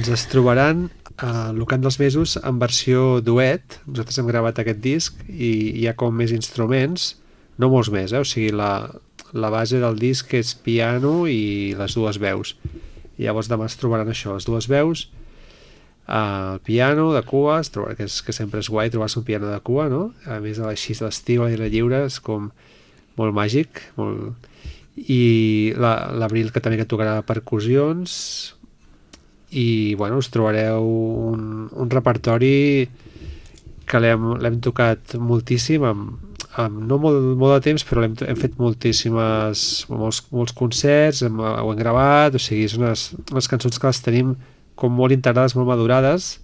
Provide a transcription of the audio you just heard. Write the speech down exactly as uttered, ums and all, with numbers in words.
Ens trobaran a Lucant dels Mesos en versió duet. Nosaltres hem gravat aquest disc i hi ha com més instruments, no molts més, eh? O sigui, la, la base del disc és piano i les dues veus. I llavors demà es trobaran això, les dues veus, el piano de cua, es trobarà, que, és, que sempre és guai trobar-se un piano de cua, no? A més, així l'estiu, a l'aire lliure, és com molt màgic, molt... i l'Abril, la, que també que tocarà percussions, i bueno, us trobareu un, un repertori que l'hem tocat moltíssim amb, amb no molt, molt de temps, però hem, hem fet moltíssimes molts, molts concerts, hem, ho hem gravat, o sigui, és unes, unes cançons que les tenim com molt integrades, molt madurades,